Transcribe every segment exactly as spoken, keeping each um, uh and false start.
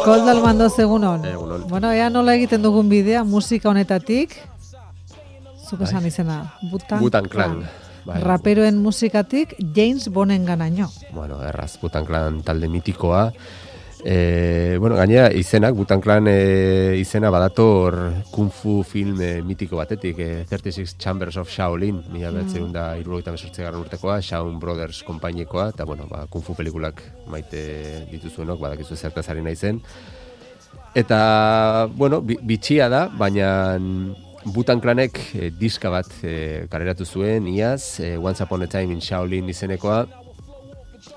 Koldo Almandoz, egunon. Egunon. Bueno, ea nola egiten dugun bidea musika honetatik, zuk esan izena, Wu-Tang Wu-Tang Clan. Bai. Raperoen musikatik James Bonden ganaino. Bueno, erraz, Wu-Tang Clan talde mitikoa. E, bueno, gainera izenak, Wu-Tang Clan e, izena badator kung fu film e, mitiko batetik, e, thirty six Chambers of Shaolin, mila behatzen da hirurogeita hemezortzigarren urtekoa, Shaolin Brothers konpainikoa, eta bueno, ba, kung fu pelikulak maite dituzuenok, badakizu zertaz ari naizen. Eta, bueno, bi, bitxia da, baina Wu-Tang Clanek e, diska bat e, kaleratu zuen, iaz, e, Once Upon a Time in Shaolin izenekoa,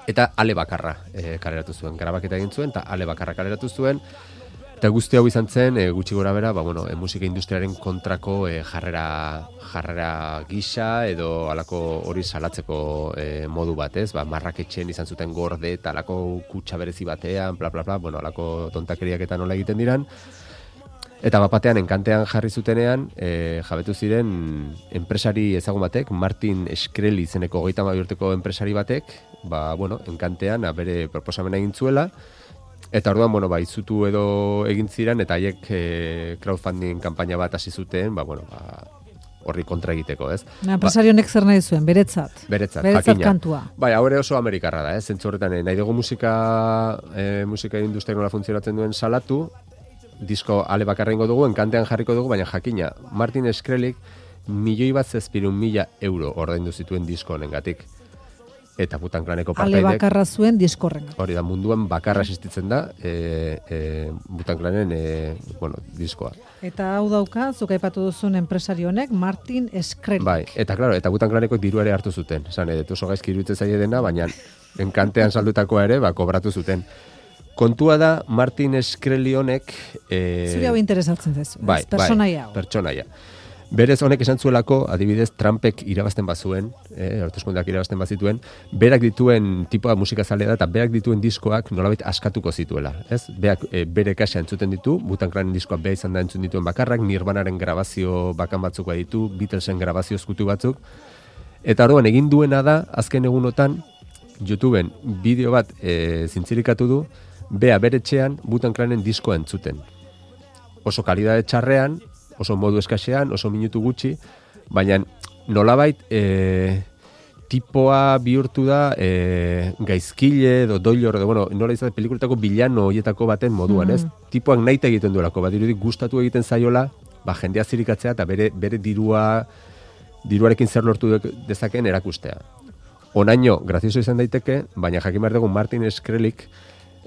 eta ale bakarra e, kaleratu zuen, grabaketa egin zuen, eta ale bakarra kaleratu zuen, eta guzti hau izan zen, e, gutxi gora bera, ba, bueno, e, musika industriaren kontrako e, jarrera, jarrera gisa, edo alako hori salatzeko e, modu batez, ba, marraketxen izan zuten gorde, eta alako kutsa berezi batean, bla, bla, bla, bueno, alako tontakeriak eta nola egiten diran, eta bapatean enkantean jarri zutenean, e, jabetu ziren enpresari ezagun batek, Martin Shkreli izeneko hogeita hamabi urteko enpresari batek, ba, bueno, enkantean a, bere proposamena egin zuela, eta orduan, bueno, ba, izutu edo egin ziren, eta haiek e, crowdfunding kanpaina bat hasi zuten, ba, bueno, ba, horri kontra egiteko, ez? Na, enpresari honek zer nahi zuen, beretzat. Beretzat, beretzat jakina. Kantua. Bai, hau ere oso amerikarra da, ez? Zentzu horretan, nahi dugu musika, e, musika industria nola funtzionatzen duen salatu, disko ale bakarra ingo dugu, enkantean jarriko dugu, baina jakina, Martin Shkreli milioi bat zazpirun mila euro ordaindu zituen disko honengatik. Eta Wu-Tang Claneko partaidek... Ale bakarra zuen diskorren. Hori da, munduan bakarra existitzen da, e, e, Wu-Tang Clanen e, bueno, diskoa. Eta hau dauka, zuk aipatu duzun enpresari honek, Martin Shkreli. Bai, eta claro, eta Wu-Tang Claneko diru ere hartu zuten. Esan, edo oso gaizki iruditzen zaie dena, baina enkantean saldutakoa ere, ba, kobratu zuten. Kontua da, Martin Shkreli honek... E... Zuri hau interesatzen zezu, bai, pertsonaia hau. Bai, pertsonaia. Berez honek esan zuelako, adibidez, Trumpek irabazten bazuen, eh, hauteskundeak irabazten bazituen, berak dituen tipoa musikazalea da, eta berak dituen diskoak nolabait askatuko zituela. Ez? Beak e, bere kasa entzuten ditu, Wu-Tang Clanen diskoak beha izan da entzun dituen bakarrak, Nirvanaren grabazio bakan batzuk ditu, Beatlesen grabazio eskutu batzuk, eta orduan egin duena da, azken egunotan, YouTubeen bideo bat e, zintzirikatu du, bea bere etxean Wu-Tang Clanen diskoa entzuten. Oso kalidade txarrean, oso modu eskasean, oso minutu gutxi, baina nolabait e, tipoa bihurtu da e, gaizkile edo doilor, edo, bueno, nola izan pelikuletako bilano horietako baten moduan, ez? Mm. Tipoak nahi egiten duelako, bat dirudik gustatu egiten zaiola, ba, jendea zirikatzea eta bere, bere dirua, diruarekin zer lortu dezaken erakustea. Onaino, grazioso izan daiteke, baina jakin behar dugu Martin Shkrelik,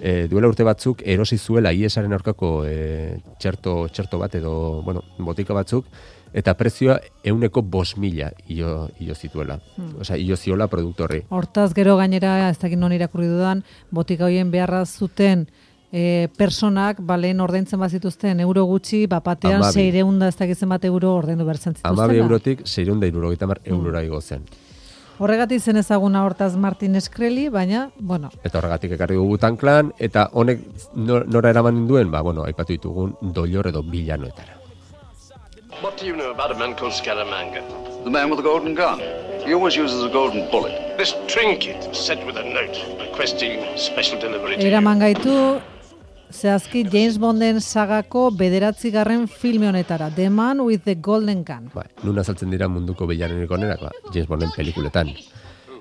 E, duela urte batzuk erosi zuela I E S-aren aurkako e, txerto, txerto bat edo, bueno, botika batzuk, eta prezioa euneko bost mila io, io zituela. Hmm. Osea, io ziola produktorri. Hortaz gero gainera, ez dakit non irakurri dudan, botika hoien beharra zuten e, personak, balen ordaintzen bazituzten euro gutxi, bapatean seireunda ez dakit zenbat euro ordaindu bertzen zituztela. Amabi eurotik seireunda hirurogeita hamar eurora igo zen. Horregatik zen ezaguna hortaz Martin Shkreli, baina, bueno. Eta horregatik ekarri dugu Wu-Tang Clan, eta honek nora eraman duen, ba, bueno, aipatu ditugun doilor edo bilanoetara. What do you know about a man called Scaramanga? The man with the golden gun. He always uses a golden bullet. This trinket was sent with a note requesting special delivery to you. Eraman gaitu, zehazki James Bonden sagako bederatzigarren filme honetara, The Man with the Golden Gun. Ba, nun azaltzen dira munduko bilanenik onenak, ba, James Bonden pelikuletan.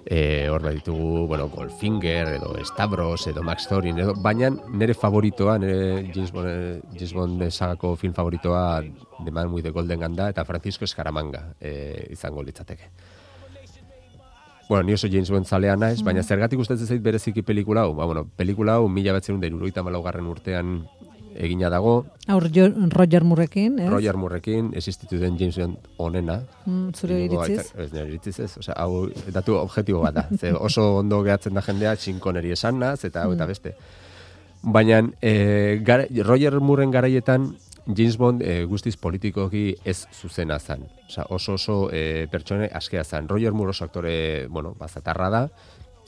E, hor bat ditugu, bueno, Goldfinger, edo Stavros, edo Max Thorin, edo, baina nire favoritoa, nire James Bond, James Bond sagako film favoritoa The Man with the Golden Gun da, eta Francisco Scaramanga e, izango litzateke. Bueno, ni oso James Bond zalea naiz, mm. baina zergatik gustatzen zait bereziki pelikula hau? Ba, bueno, pelikula hau mila batzerun da hirurogeita hamalaugarren urtean egina dago. Aur Roger Moorekin, ez? Roger Moorekin, existitu den James Bond onena. Mm, zure iritziz? Ez, nire iritziz ez. Osea, hau datu objektibo bat da. Ze oso ondo gehatzen da jendea, txinkoneri esanaz, eta hau eta beste. Baina, e, gara, Roger Mooren garaietan, James Bond e, guztiz politikoki ez zuzena zan. Osa, oso oso e, pertsone askea zan. Roger Moore oso aktore, bueno, bazatarra da,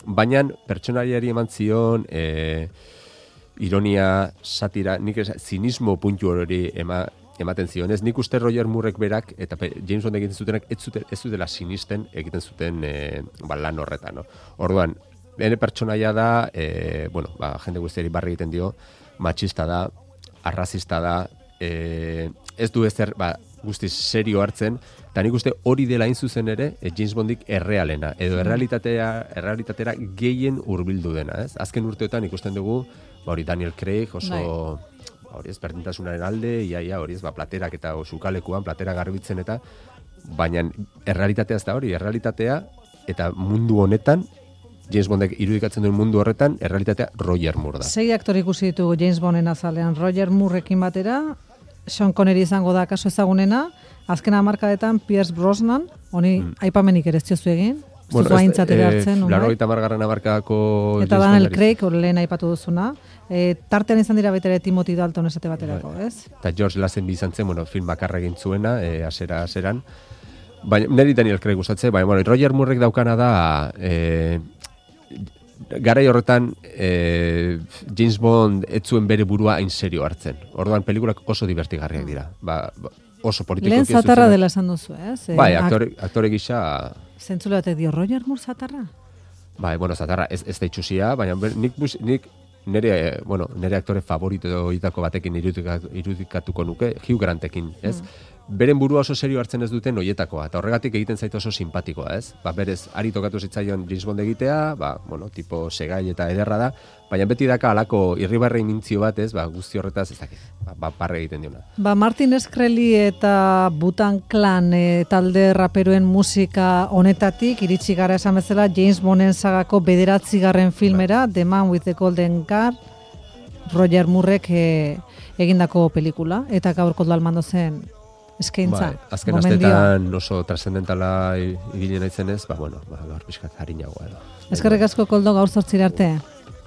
baina pertsonariari eman zion e, ironia, satira, nik ez, zinismo puntu hori ema, ematen zion. Ez nik uste Roger Moorek berak eta James Bond egiten zutenak ez, zute, ez zutela sinisten egiten zuten e, ba, lan horretan. No? Orduan, bere pertsonaia da, e, bueno, ba, jende guztiari barri egiten dio, matxista da, arrazista da, e, ez du ezer, ba, guztiz serio hartzen, eta nik uste hori dela hain zuzen ere, e, James Bondik errealena, edo errealitatea, errealitatera gehien hurbildu dena, ez? Azken urteotan ikusten dugu, ba, hori Daniel Craig oso... Bai. Hori ez, berdintasunaren alde, iaia, hori ez, ba, platerak eta sukalekuan, platera garbitzen eta, baina errealitatea ez da hori, errealitatea eta mundu honetan, James Bondek irudikatzen duen mundu horretan, errealitatea Roger Moore da. Sei aktore ikusi ditugu James Bonden azalean, Roger Moorerekin batera, Sean Connery izango da kaso ezagunena, azken hamarkadetan Pierce Brosnan, honi mm. aipamenik ere ez diozu egin, bueno, zuzu aintzatera hartzen. Laurogeita hamargarren hamarkadako... Eta Daniel Craig, hori lehen aipatu duzuna. E, tartean izan dira baita ere Timothy Dalton esate baterako, Bai. ez? Eta George Lazenby izan zen, bueno, film bakarra egin zuena, e, asera, aseran. Baina, niri Daniel Craig gustatzen, baina, bueno, Roger Moorek daukana da... E, garai horretan e, James Bond ez zuen bere burua hain serio hartzen. Orduan, pelikulak oso divertigarriak dira. Ba, oso politiko... Lehen zatarra dela esan duzu, ez? Eh? Bai, aktore, aktore gisa... Zentzule batek dio, Roger Moore zatarra? Bai, bueno, zatarra ez, ez da itxusia, baina nik, nik nire, bueno, nire aktore favorito hitako batekin irudikatu, irudikatuko nuke, Hugh Grantekin, ez? Mm. Beren burua oso serio hartzen ez duten hoietakoa, eta horregatik egiten zait oso simpatikoa, ez? Ba, berez, ari tokatu zitzaion James Bond egitea, ba, bueno, tipo segai eta ederra da, baina beti daka alako irribarrein mintzio bat, ez? Ba, guzti horretaz, ez dakit, ba, ba, parre egiten diona. Ba, Martin Shkreli eta Wu-Tang Clan e, talde raperoen musika honetatik, iritsi gara esan bezala James Bonden sagako bederatzigarren filmera, ba. The Man with the Golden Car, Roger Moorek e, egindako pelikula, eta gaur Koldo Almando zen eskaintza. Bai, azken astetan oso trascendentala ibili naizenez, ba, bueno, ba, gaur pixkat harinagoa edo. Eskerrik asko Koldo, gaur zortzira arte.